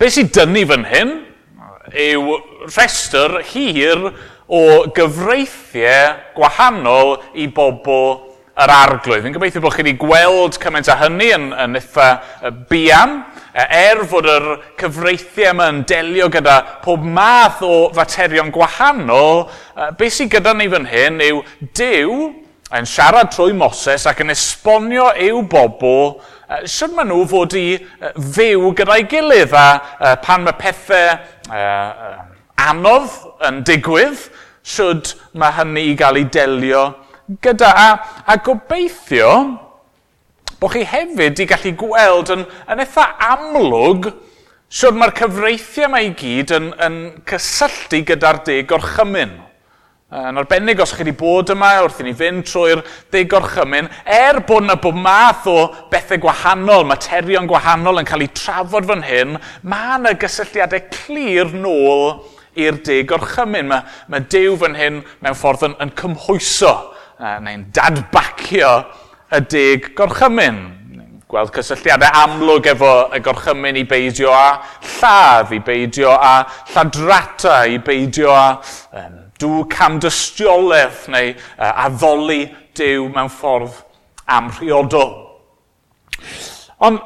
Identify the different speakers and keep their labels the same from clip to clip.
Speaker 1: Be sy'n dynnu fan hyn yw rhestr hir o gyfreithiau gwahanol i bobl yr arglwydd. Fi'n gobeithio bod chi wedi gweld cymaint â hynny yn eitha buan. Er fod yr cyfreithiau yma yn delio gyda pob math o faterion gwahanol, beth sydd gyda ni fan hyn yw Duw yn siarad trwy Moses ac yn esbonio i'w bobl sut maen nhw fod i fyw gyda'i gilydd a pan mae pethau anodd yn digwydd, sut mae hynny i gael ei delio gyda. A gobeithio bod chi hefyd i gallu gweld yn eitha amlwg sut mae'r cyfreithiau yma i gyd yn cysylltu gyda'r deg gorchymyn. Yn arbennig os chi wedi bod yma wrth i ni fynd trwy'r deg gorchymyn, er bod yna bob math o bethau gwahanol, materion gwahanol yn cael eu trafod fan hyn, mae yna gysylltiadau clir nôl i'r deg gorchymyn. Mae Duw fan hyn mewn ffordd yn cymhwyso, neu'n dadbacio y deg gorchymyn. Gweld cysylltiadau amlwg efo y gorchymyn i beidio â lladd, i beidio â lladrata, i beidio â dw camdystiolaeth neu addoli Duw mewn ffordd amhriodol. Ond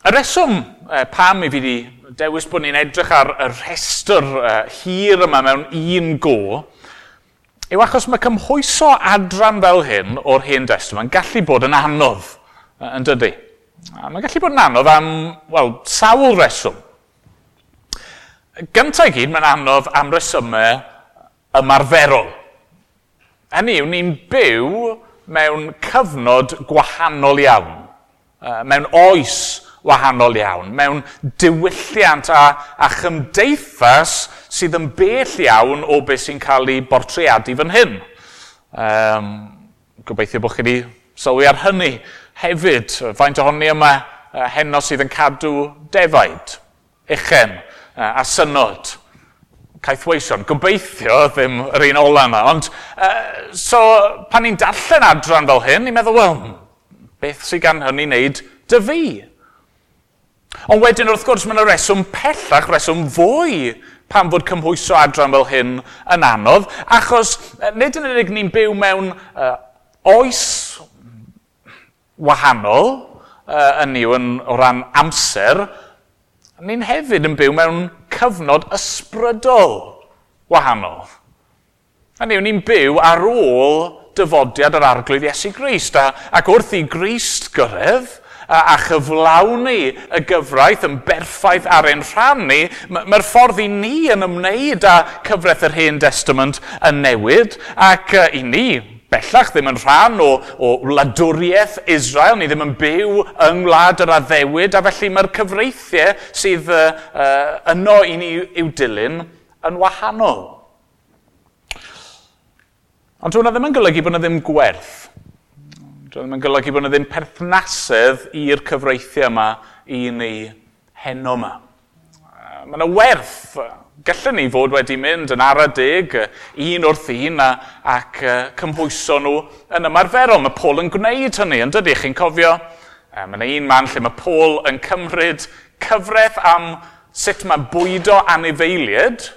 Speaker 1: y reswm pam i fi wedi dewis bod ni'n edrych ar y rhestr hir yma mewn un go yw achos mae cymhwyso adran fel hyn o'r Hen Destament yn gallu bod yn anodd, yn dydy? A mae'n gallu bod yn anodd am, wel, sawl reswm. Gyntaf i gyd, mae'n anodd am resymau ymarferol. Hynny yw, ni'n byw mewn cyfnod gwahanol iawn, mewn oes wahanol iawn, mewn diwylliant a chymdeithas sydd yn bell iawn o beth sy'n cael ei bortreadu fan hyn. Gobeithio bod chi wedi sylwi ar hynny hefyd. Faint ohoni yma heno sydd yn cadw defaid, uchen a synod, caethweision. Gobeithio ddim yr un ola yma. Ond so, pan ni'n darllen adran fel hyn, ni'n meddwl, wel, beth sydd gan hynny wneud dy fi? Ond wedyn, wrth gwrs, mae yna reswm pellach, reswm fwy pam fod cymhwyso adran fel hyn yn anodd, achos nid yn unig ni'n byw mewn oes wahanol, yn yw o ran amser, ni'n hefyd yn byw mewn cyfnod ysbrydol wahanol. Hynny yw, ni'n byw ar ôl dyfodiad yr Arglwydd Iesu Grist, ac wrth i Grist gyrraedd a chyflawni y gyfraith yn berffaith ar ein rhan ni, mae'r ffordd i ni yn ymwneud â cyfraith yr Hen Testament yn newid, ac i ni bellach ddim yn rhan o wladwriaeth Israel, ni ddim yn byw yng ngwlad yr addewid, a felly mae'r cyfreithiau sydd yno i ni i'w dilyn yn wahanol. Ond hwnna ddim yn golygu bod yna ddim gwerth. Dyw ddim yn golygu bod yna ddim perthnasedd i'r cyfreithiau yma i ni heno yma. Mae yna werth. Gallen ni fod wedi mynd yn ara deg, un wrth un, ac cymhwyso nhw yn ymarferol. Mae Paul yn gwneud hynny, yn dydy? Chi'n cofio? Mae yna un man lle mae Paul yn cymryd cyfraith am sut mae bwydo anifeiliaid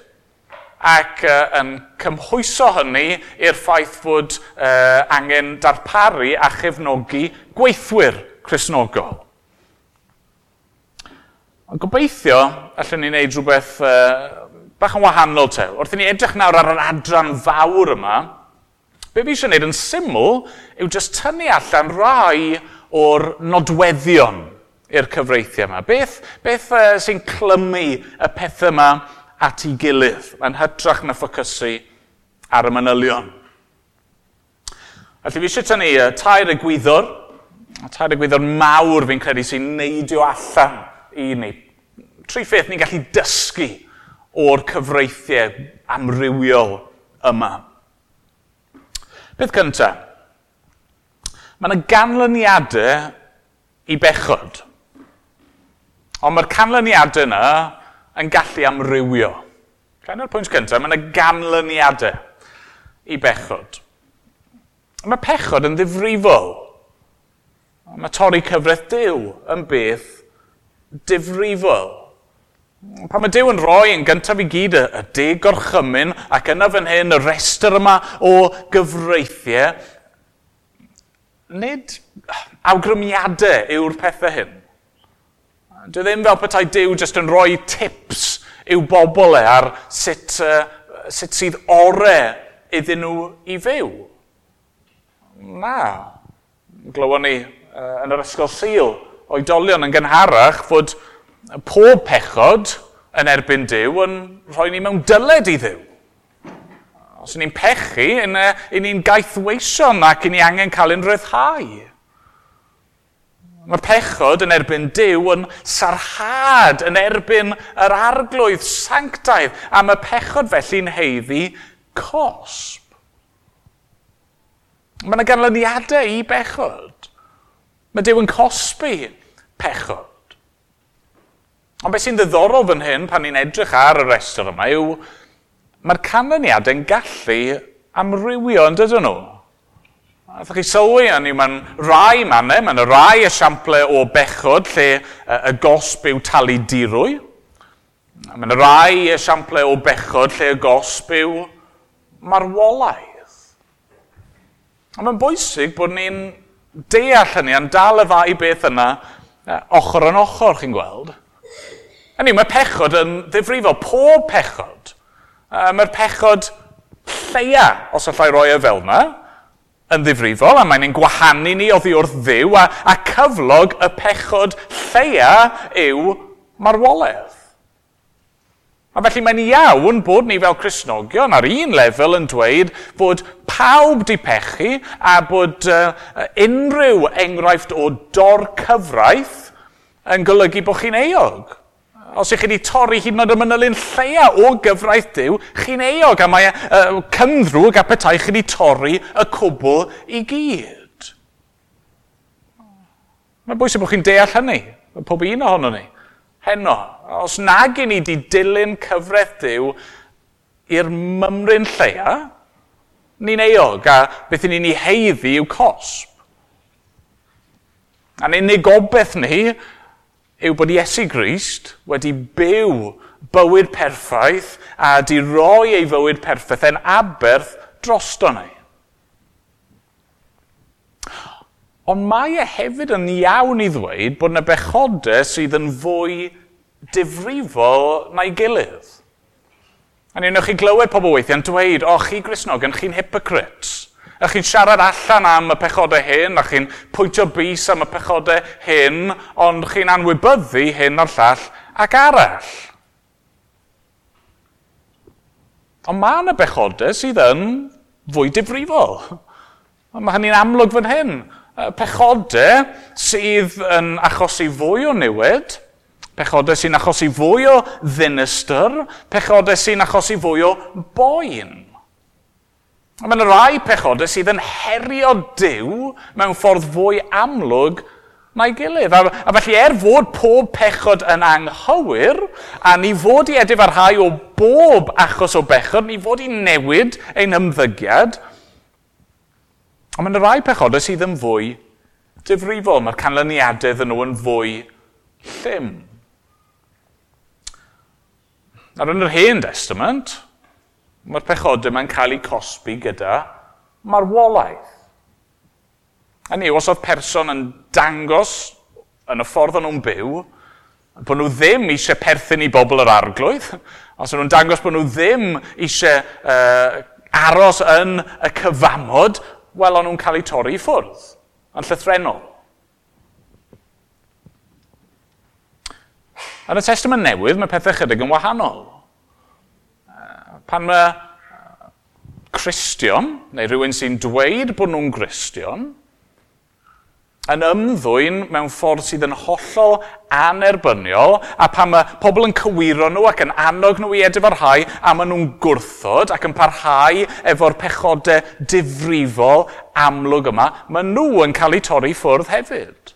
Speaker 1: ac yn cymhwyso hynny i'r ffaith fod angen darparu a chefnogi gweithwyr Cristnogol. Ond gobeithio allwn ni wneud rhywbeth bach yn wahanol te. Wrth i ni edrych nawr ar yr adran fawr yma, be fi eisiau gwneud yn syml yw jyst tynnu allan rai o'r nodweddion i'r cyfreithiau yma. Beth sy'n clymu y pethau yma at ei gilydd, yn hytrach na ffocysu ar y manylion. Felly fi eisiau tynnu tair egwyddor mawr fi'n credu sy'n neidio allan i ni. Tri pheth ni'n gallu dysgu o'r cyfreithiau amrywiol yma. Peth cyntaf, mae yna ganlyniadau i bechod. Ond mae'r canlyniadau yna yn gallu amrywio. Dyna'r pwynt cyntaf, mae yna ganlyniadau i bechod. Mae pechod yn ddifrifol. Mae torri cyfraith Duw yn beth difrifol. Pan mae Duw yn rhoi yn gyntaf i gyd y 10 gorchymyn ac yna fan hyn y rhestr yma o gyfreithiau, nid awgrymiadau yw'r pethau hyn. Dwi ddim fel petai Duw jyst yn rhoi tips i'w bobl e ar sut sydd ore iddyn nhw i fyw. Na. Glywon ni yn yr ysgol Sul oedolion yn gynharach fod pob pechod yn erbyn Duw yn rhoi ni mewn dyled i Dduw. Os y'n ni'n pechu, y'n ni'n gaethweision ac y'n ni angen cael ein rhyddhau. Mae pechod yn erbyn Duw yn sarhad yn erbyn yr arglwydd sanctaidd, a mae pechod felly'n haeddu cosb. Mae yna ganlyniadau i bechod. Mae Duw yn cosbi pechod. Ond beth sy'n ddiddorol fan hyn pan ni'n edrych ar y rhestr yma yw mae'r canlyniadau'n gallu amrywio, yn dydyn nhw? Allwch chi sylwi, mae'n rai mannau, mae'n rai esiample o bechod lle y gosb yw talu dirwy. Mae'n rai esiample o bechod lle y gosb yw marwolaeth. A mae'n bwysig bod ni'n deall hynny a'n dal y ddau beth yna ochr yn ochr, chi'n gweld. Hynny, mae pechod yn ddifrifol, pob pechod. Mae'r pechod lleia, os allai roi e fel yna, yn ddifrifol, a mae'n ein gwahanu ni oddi wrth Dduw, a cyflog y pechod lleia yw marwolaeth. A felly mae'n iawn bod ni fel Cristnogion ar un lefel yn dweud bod pawb di pechu a bod unrhyw enghraifft o dorcyfraith yn golygu bod chi'n euog. Os ych chi wedi torri hyd yn oed y manylyn lleia o gyfraith Duw, chi'n euog, a mae cynddrwg a petai chi wedi torri y cwbl i gyd. Mae'n bwysig bod chi'n deall hynny, pob un ohono ni. Heno, os nag i ni wedi dilyn cyfraith Duw i'r mymryn lleia, ni'n euog, a beth i ni'n ei haeddu yw cosb. A'n unig gobaith ni yw bod Iesu Grist wedi byw bywyd perffaith a di roi ei fywyd perffaith yn aberth drosto ni. Ond mae e hefyd yn iawn i ddweud bod yna bechodau sydd yn fwy difrifol na'i gilydd. A ni wnewch chi glywed pobl weithiau'n dweud, o, chi Gristnogion, chi'n hypocrites. A chi'n siarad allan am y pechodau hyn, a chi'n pwyntio bys am y pechodau hyn, ond chi'n anwybyddu hyn a'r llall ac arall. Ond mae yna bechodau sydd yn fwy difrifol. Mae hynny'n amlwg fan hyn. Pechodau sydd yn achosi fwy o niwed, pechodau sy'n achosi fwy o ddinistr, pechodau sy'n achosi fwy o boen. Mae yna rai pechodau sydd yn herio Duw mewn ffordd fwy amlwg na'i gilydd. A felly fod pob pechod yn anghywir, a ni fod i edifarhau o bob achos o bechod, ni fod i newid ein ymddygiad, ond mae yna rai pechodau sydd yn fwy difrifol. Mae'r canlyniadau iddyn nhw yn fwy llym. Nawr yn yr Hen Testament, mae'r pechodau mae'n cael eu cosbi gyda marwolaeth. Hynny yw, os oedd person yn dangos yn y ffordd o'n nhw'n byw, bod nhw ddim eisiau perthyn i bobl yr arglwydd, os o'n nhw'n dangos bod nhw ddim eisiau aros yn y cyfamod, wel, o'n nhw'n cael eu torri i ffwrdd, yn llythrennol. Yn y Testament Newydd, mae pethau chydig yn wahanol. Pan mae Cristion, neu rhywun sy'n dweud bod nhw'n Gristion, yn ymddwyn mewn ffordd sydd yn hollol anerbyniol, a pan mae pobl yn cywiro nhw ac yn annog nhw i edifarhau, a maen nhw'n gwrthod ac yn parhau efo'r pechodau difrifol amlwg yma, maen nhw yn cael eu torri ffwrdd hefyd.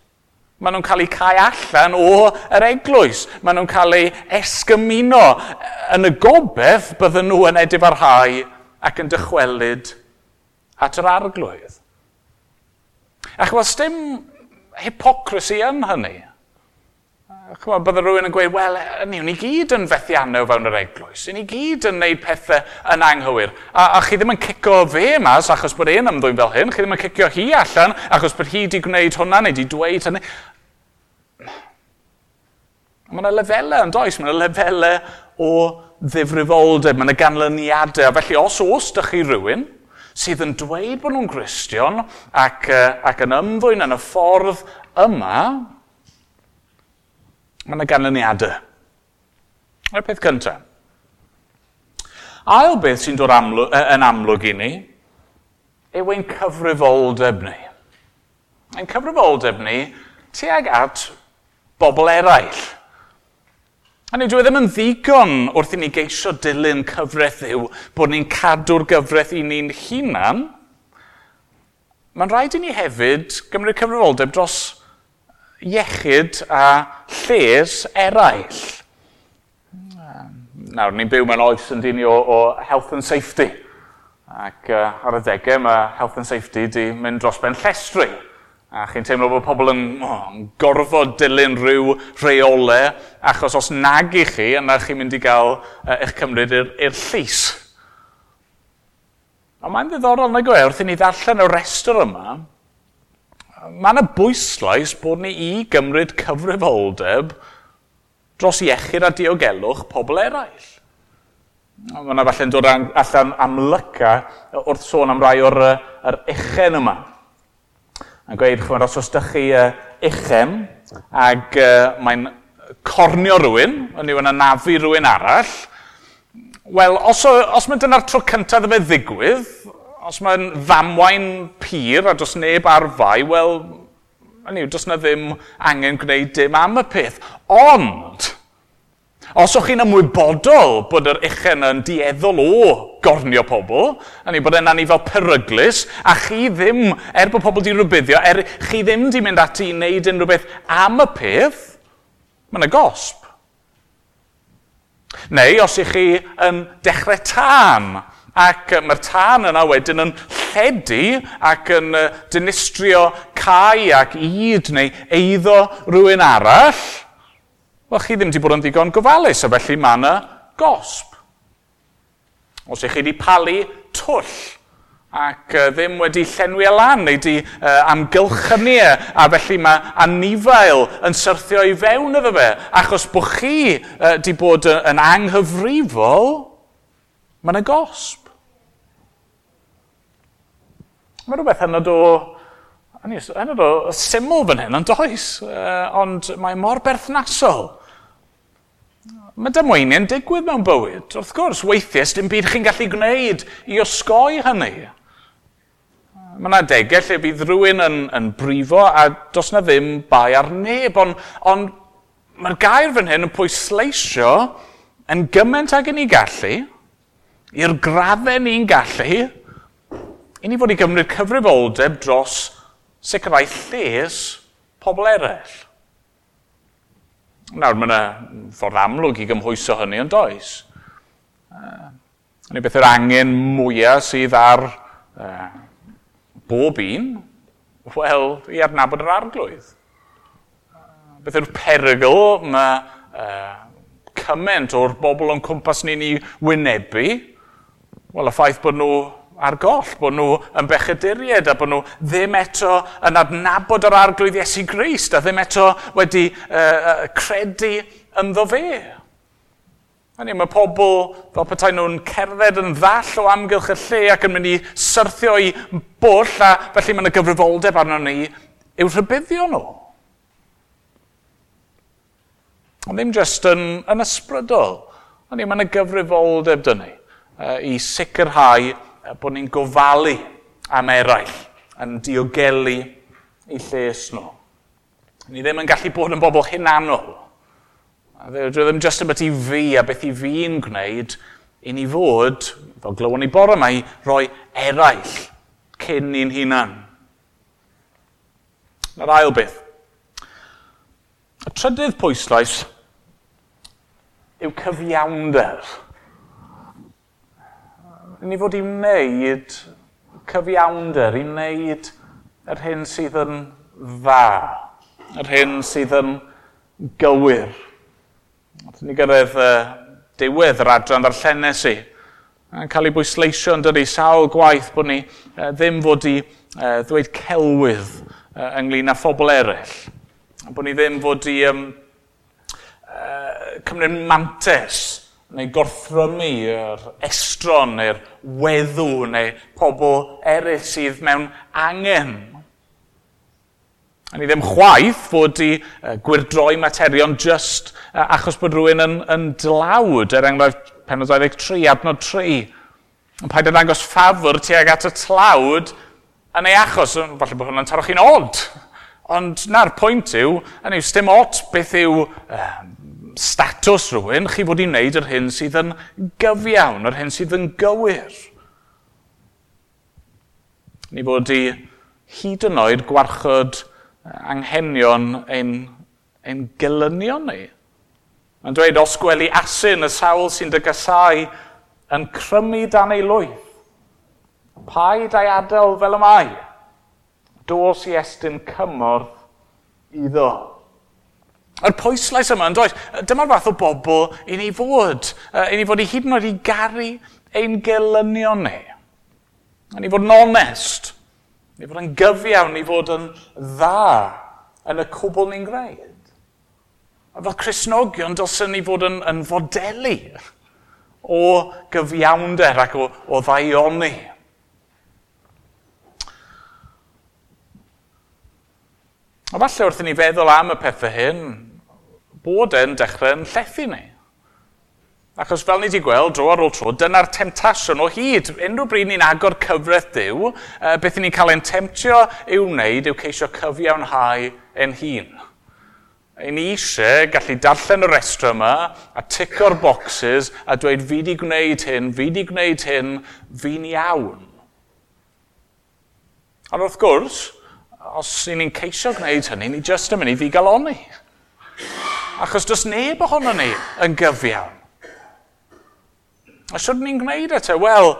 Speaker 1: Maen nhw'n cael eu cau allan o yr eglwys. Maen nhw'n cael eu esgymuno. Yn y gobaith bydden nhw yn edifarhau ac yn dychwelyd at yr arglwydd. Ac wel, dim hypocrisy yn hynny. Chymod, bydde rhywun yn gweud, wel, ni gyd yn fethiannau fewn yr eglwys. Ni gyd yn neud pethau yn anghywir. A chi ddim yn cico fe mas achos bod e'n ymddwyn fel hyn. Chi ddim yn cicio hi allan achos bod hi wedi gwneud hwnna neu wedi dweud hynny. Mae yna lefelau yn does? Mae yna lefelau o ddifrifoldeb, mae yna ganlyniadau. A felly os oes dych chi rhywun sydd yn dweud bod nhw'n Gristion ac yn ymddwyn yn y ffordd yma, mae yna ganlyniadau. Yr peth cyntaf. Ail beth sy'n dod yn amlwg i ni yw ein cyfrifoldeb ni. Ein cyfrifoldeb ni tuag at bobl eraill. Hynny, dyw e ddim yn ddigon wrth i ni geisio dilyn cyfraith Dduw bod ni'n cadw'r gyfraith i ni'n hunan. Mae'n rhaid i ni hefyd gymryd cyfrifoldeb dros iechyd a lles eraill. Nawr, ni'n byw mewn oes yn dyn ni o health and safety. Ac ar y degau mae health and safety di mynd dros ben llestri. A chi'n teimlo bod pobl yn gorfod dilyn rhyw rheolau, achos os nag i chi, yna chi'n mynd i gael eich cymryd i'r llys. Ond mae'n ddiddorol nag yw e, wrth i ni ddarllen y restr yma, mae yna bwyslais bod ni i gymryd cyfrifoldeb dros iechyd a diogelwch pobl eraill. Mae yna falle'n dod allan amlyca wrth sôn am rai o'r uchen yma. Yn gweud, chymod, os oes dych chi uchen ac mae'n cornio rhywun, yn yw yn anafu rhywun arall, wel, os mae dyna'r tro cyntaf iddo fe ddigwydd, os mae'n ddamwain pur a does neb ar fai, wel, hynny yw, does na ddim angen gwneud dim am y peth. Ond, os o'ch chi'n ymwybodol bod yr uchen yn dueddol o gornio pobl, hynny bod e'n anifal peryglus, a chi ddim, er bod pobl di rybuddio, er chi ddim di mynd ati i wneud unrhyw beth am y peth, mae yna gosb. Neu os ych chi yn dechrau tân, ac mae'r tân yna wedyn yn lledu ac yn dinistrio cae ac ŷd neu eiddo rhywun arall, wel, chi ddim wedi bod yn ddigon gofalus, a felly mae yna gosb. Os ych chi wedi palu twll ac ddim wedi llenwi e lan neu wedi amgylchynu e, a felly mae anifail yn syrthio i fewn iddo fe, achos bod chi wedi bod yn anghyfrifol, mae yna gosb. Mae rhywbeth hynod o syml fan hyn, yn does? Ond mae mor berthnasol. Mae damweiniau'n digwydd mewn bywyd. Wrth gwrs, weithiau, dim byd chi'n gallu gwneud i osgoi hynny. Mae yna adegau lle bydd rhywun yn brifo a does na ddim bai ar neb, ond mae'r gair fan hyn yn pwysleisio yn gymaint ag i ni gallu, i'r graddau ni'n gallu, i ni fod i gymryd cyfrifoldeb dros sicrhau lles pobl eraill. Nawr, mae yna ffordd amlwg i gymhwyso hynny yn does. Hynny beth yw'r angen mwyaf sydd ar bob un? Wel, i adnabod yr arglwydd. Beth yw'r perygl mae cymaint o'r bobl o'n cwmpas ni'n ei wynebu? Wel, y ffaith bod nhw ar goll, bod nhw yn bechaduriaid a bod nhw ddim eto yn adnabod yr arglwydd Iesu Grist a ddim eto wedi credu ynddo fe. Hynny, mae pobl fel petai nhw'n cerdded yn ddall o amgylch y lle ac yn mynd i syrthio i bwll, a felly mae yna gyfrifoldeb arno ni i'w rhybuddio nhw. Ond ddim jyst yn ysbrydol. Hynny, mae yna gyfrifoldeb dyn ni i sicrhau bod ni'n gofalu am eraill, yn diogelu eu lles nhw. Ni ddim yn gallu bod yn bobl hunanol. Dwi ddim jyst yn beth i fi a beth i fi'n gwneud, i ni fod, fel glywon ni bore yma, i roi eraill cyn ni'n hunan. Na'r ail beth. Y trydydd pwyslais yw cyfiawnder. Ni fod i wneud cyfiawnder, i wneud yr hyn sydd yn dda, yr hyn sydd yn gywir. Wrth ni gyrraedd diwedd yr adran ddarllenes i, yn cael ei bwysleisio yn dydi sawl gwaith bod ni ddim fod i ddweud celwydd ynglyn â phobl eraill. Bod ni ddim fod i cymryd mantes neu gorthrymu yr estron neu'r weddw neu pobl eraill sydd mewn angen. A ni ddim chwaith fod i gwyrdroi materion just achos bod rhywun yn dlawd, er enghraifft penod 23, adnod 3. Yn paid â dangos ffafr tuag at y tlawd yn ei achos, falle bod hwnna'n taro chi'n od. Ond na'r pwynt yw, hynny yw, sdim ot beth yw statws rhywun, chi fod i wneud yr hyn sydd yn gyfiawn, yr hyn sydd yn gywir. Ni fod i hyd yn oed gwarchod anghenion ein gelynion ni. Mae'n dweud, os gweli asyn y sawl sy'n dy gasau yn crymu dan ei lwyth, paid a'i adael fel y mae, dos i estyn cymorth iddo. Yr pwyslais yma yn does, dyma'r fath o bobl i ni fod i hyd yn oed i garu ein gelynion ni. I ni fod yn onest, ni fod yn gyfiawn, ni fod yn dda yn y cwbl ni'n gwneud. A fel Cristnogion, dylsen ni fod yn fodelu o gyfiawnder ac o ddaioni. A falle wrth i ni feddwl am y pethau hyn, bod e'n dechrau'n llethu ni. Achos fel ni wedi gweld dro ar ôl tro, dyna'r temtasiwn o hyd. Unrhyw bryd ni'n agor cyfraith Duw, beth ni'n cael ein temtio i'w wneud yw ceisio cyfiawnhau ein hun. Ein ni eisiau gallu darllen y restr yma a tico'r boxes a dweud fi di gwneud hyn, fi di gwneud hyn, fi'n iawn. Ond wrth gwrs, os ni'n ceisio gwneud hynny, ni jyst yn mynd i ddigalonni. Achos does neb ohono ni yn gyfiawn. A sut ni'n gwneud e te? Wel,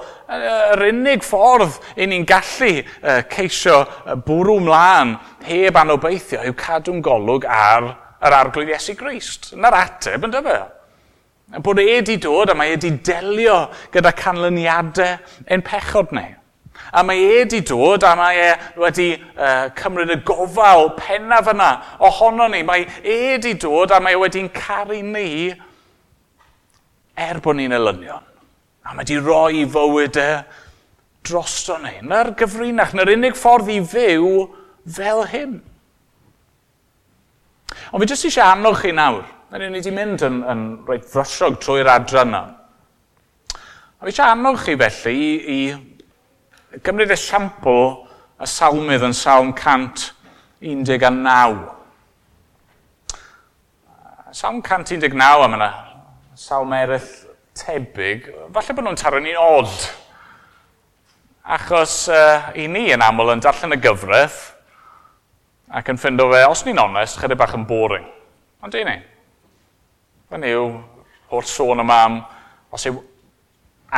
Speaker 1: yr unig ffordd i ni'n gallu ceisio bwrw mlaen heb anobeithio yw cadw'n golwg ar yr Arglwydd Iesu Grist. Na'r ateb, yn dyfe? Bod e wedi dod a mae e wedi delio gyda canlyniadau ein pechod ni. A mae e wedi dod a mae e wedi cymryd y gofal pennaf yna ohono ni. Mae e wedi dod a mae e wedi'n caru ni er bod ni'n elynion. A mae wedi rhoi fywyd e drosto ni. Na'r gyfrinach, na'r unig ffordd i fyw fel hyn. Ond fi jyst eisiau annog chi nawr. Ni wedi mynd yn reit frysiog trwy'r adran yna. A fi eisiau annog chi felly i gymryd esiampl y salmydd yn Salm 119. Salm 119, a mae yna salm eraill tebyg, falle bod nhw'n taro ni'n od. Achos i ni yn aml yn darllen y gyfraith ac yn ffindo fe, os ni'n onest, chydig bach yn boring. Ond di ni. Hynny yw, holl sôn yma am, os yw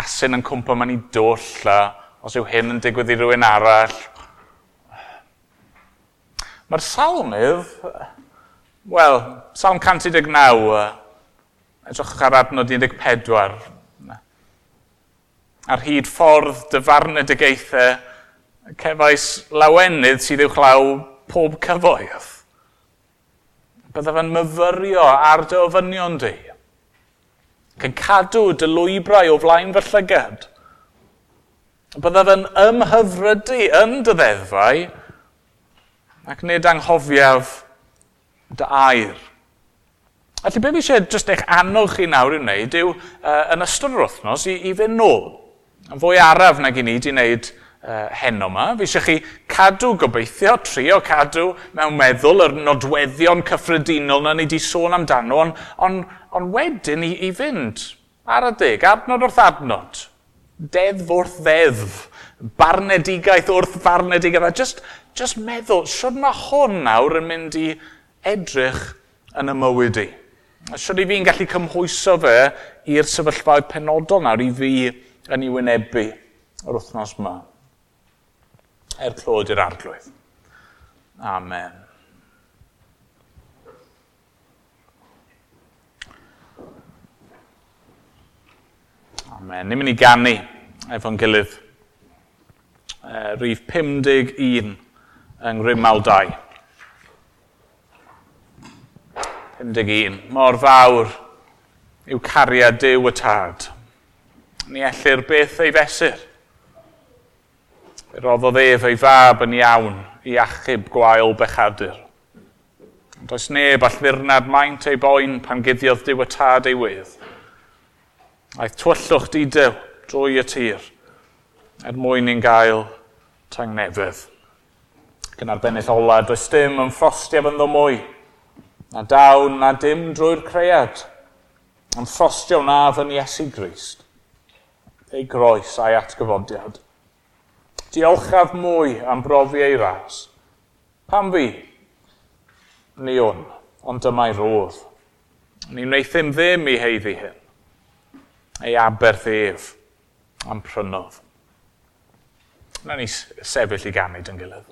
Speaker 1: asyn yn cwmpo mewn i dwll, a os yw hyn yn digwydd i rywun arall. Mae'r salmydd, wel, Salm 119, edrychwch ar adnod 14. Ar hyd ffordd dyfarnedigaethau, cefais lawenydd sydd uwchlaw pob cyfoeth. Byddaf yn myfyrio ar dy ofynion di, ac yn cadw dy lwybrau o flaen fy llygad. Byddaf yn ymhyfrydu yn dy ddeddfau, ac nid anghofiaf dy air. Felly, be fi eisiau jyst eich annog chi nawr i wneud yw, yn ystod yr wythnos, i fynd nôl. Yn fwy araf nag i ni wedi wneud heno yma. Fi eisiau chi cadw gobeithio, trio cadw mewn meddwl yr nodweddion cyffredinol na ni wedi sôn amdano, ond wedyn i fynd ar y deg, adnod wrth adnod, deddf wrth ddeddf, barnedigaeth wrth farnedigaeth, a just meddwl, sut mae hwn nawr yn mynd i edrych yn y mywyd i? Sut i fi'n gallu cymhwyso fe i'r sefyllfaoedd penodol nawr i fi yn ei wynebu yr wythnos yma? Er clod i'r Arglwydd. Amen. Amen. Ni'n mynd i ganu efo'n gilydd. Rhif 51 yng Nghrimal 2. 51. Mor fawr yw cariad Duw y Tad. Ni ellir byth ei fesur. Fe roddodd ef ei fab yn iawn i achub gwael bechadur. Ond does neb all ddirnad maint ei boen pan guddiodd Duw y Tad ei wedd. Aeth tywyllwch didew drwy y tir er mwyn i'n gael tangnefedd. Ac yn arbennig ola, does dim yn ffrostiaf ynddo mwy. Na dawn, na dim drwy'r cread. Yn ffrostio wnaf yn Iesu Grist. Ei groes a'i atgyfodiad. Diolchaf mwy am brofi ei ras. Pam fi? Ni wn, ond dyma'i rodd. Ni wnaethum ddim i heiddi hyn. Ei aberth ef am prynodd. Na ni sefyll i ganu dy'n gilydd.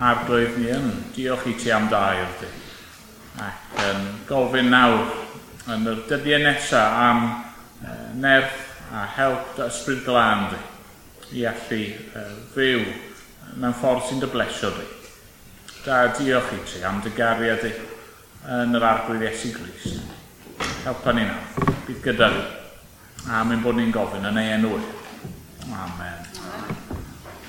Speaker 1: Arglwydd, ni yn diolch i ti am dair di. Ac yn gofyn nawr yn yr dyddiau nesaf am nerth a help dy ysbryd glân di i allu fyw mewn ffordd sy'n dy blesio di. Da, diolch i ti am dy gariad di yn yr Arglwydd Iesu Grist. Helpa ni nawr, bydd gyda ni. A mynd bod ni'n gofyn yn ei enw. Amen.